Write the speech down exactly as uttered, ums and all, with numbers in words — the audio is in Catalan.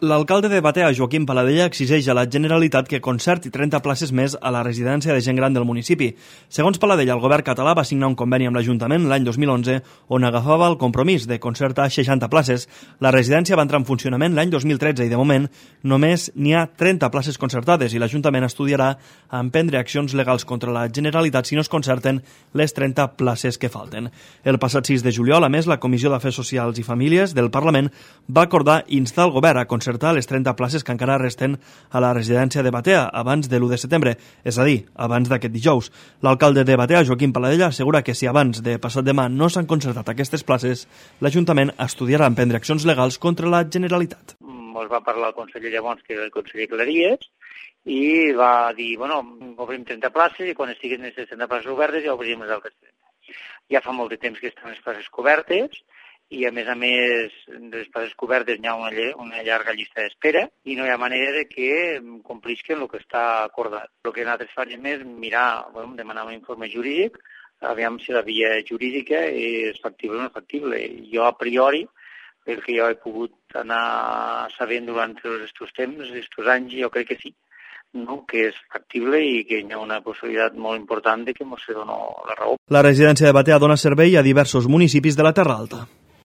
L'alcalde de Batea, Joaquim Paladella, exigeix a la Generalitat que concerti trenta places més a la residència de gent gran del municipi. Segons Paladella, el govern català va signar un conveni amb l'Ajuntament l'any dos mil onze on agafava el compromís de concertar seixanta places. La residència va entrar en funcionament l'any dos mil tretze i, de moment, només n'hi ha trenta places concertades i l'Ajuntament estudiarà emprendre accions legals contra la Generalitat si no es concerten les trenta places que falten. El passat sis de juliol, a més, la Comissió d'Afers Socials i Famílies del Parlament va acordar instar el govern a concertar les trenta places que encara resten a la residència de Batea abans de l'u de setembre, és a dir, abans d'aquest dijous. L'alcalde de Batea, Joaquim Paladella, assegura que si abans de passat demà no s'han concertat aquestes places, l'Ajuntament estudiarà emprendre accions legals contra la Generalitat. Ens va parlar el conseller llavors, que era el conseller Claries, i va dir, bueno, obrim trenta places i quan estiguin les trenta places obertes ja obrim les altres trenta. Ja fa molt de temps que estan les places cobertes, i a més a més de les places cobertes hi ha una, una llarga llista d'espera i no hi ha manera de que complisquen el que està acordat. El que nosaltres farem és mirar, bueno, demanar un informe jurídic, aviam si la via jurídica és factible o no factible. Jo a priori, pel que jo he pogut anar sabent durant aquests temps, aquests anys, jo crec que sí, no? Que és factible i que hi ha una possibilitat molt important de que ens doni la raó. La residència de Batea dona servei a diversos municipis de la Terra Alta.